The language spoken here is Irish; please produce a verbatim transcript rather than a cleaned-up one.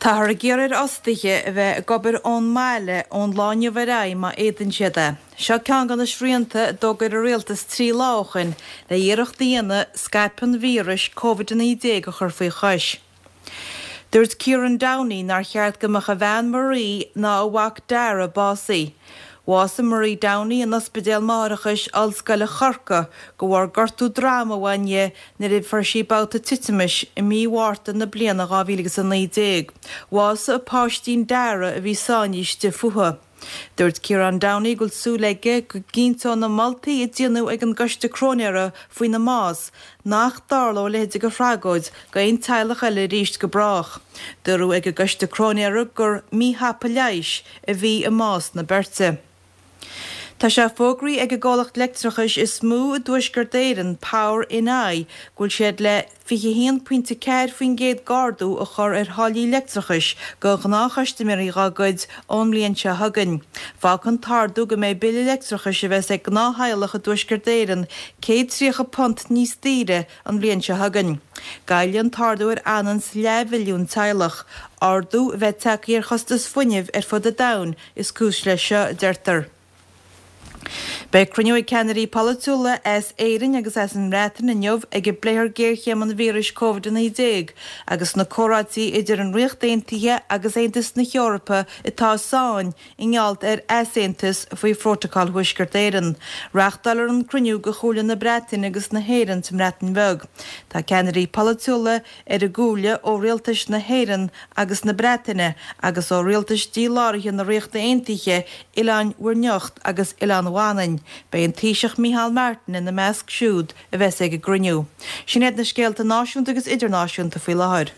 Táthar ag iarraidh ar fhostaithe a bheith ag obair ón mbaile ón lá inniu ar aghaidh má fhéadann siad é. Seo ceann de na srianta a d'fhógair an rialtas trí lá ó shin le iarracht a dhéanamh scaipeadh an víris Covid a naoi déag a chur faoi chois. Dúirt Kieran Downey nár cheart go mbeadh a bhean Marie ná a mhac Dara básaithe. Bhásaigh Marie Downey in Ospidéal Máithreachais Ollscoile Chorcaí de bharr gortú droma a bhain di nuair a fuair sí babhta titimis i mí Mhárta na bliana dhá mhíle agus a naoi déag. Bhásaigh a páistín Dara a bhí sáinnithe istigh fúthu. Dúirt Kieran Downey go bhfuil súil aige go gcinnteoidh na moltaí a déanadh ag an gcoiste cróinéara faoina mbás nach dtarlóidh a leithéid de thragóid go aon teaghlach eile arís go brách. Dúradh ag an gcoiste cróinéara gur míthapa leighis a bhí i mbás na beirte. Tá sé fógraithe ag an gcomhlacht leictreachais is mó i dTuaisceart Éireann, Power NI, go bhfuil siad le fiche haon pointe ceathair faoin gcéad d'ardú a chur ar tháillí leictreachais do ghnáthchustaiméirí dá gcuid ón mbliain seo chugainn. Fágfaidh an t-ardú go mbeidh bille leictreachais a bheas ag gnáth-theaghlach i dTuaisceart Éireann céad tríocha punt níos daoire an bhliain seo chugainn. Goillfidh an t-ardú ar anonn 's leathmhilliún teaghlach. Ardú a bheith tagtha ar chostas fuinnimh ar fud an domhain is cúis leis seo, a deirtear. Beidh cruinniú ag ceannairí polaitiúla as Éirinn agus as an mBreatain inniu ag a bpléifear géarchéim an víris Covid a naoi déag agus na comhráití idir an Ríocht Aontaithe agus Aontas na hEorpa atá i sáinn i ngeall ar easaontas faoi Phrótacal Thuaisceart Éireann. Reáchtáilfear an cruinniú do Chomhairle na Breataine agus na hÉireann sa mBreatain Bheag. Tá ceannairí polaitiúla ar an gcomhairle ó rialtais na hÉireann agus na Breataine agus ó rialtais díláraithe na Ríochta Aontaithe, Oileáin Mhuir nIocht agus Oileán Mhanainn. Beidh an Taoiseach Micheál Martin ina measc siúd a bheas ag an gcruinniú. Sin iad na scéalta náisiúnta agus idirnáisiúnta faoi láthair.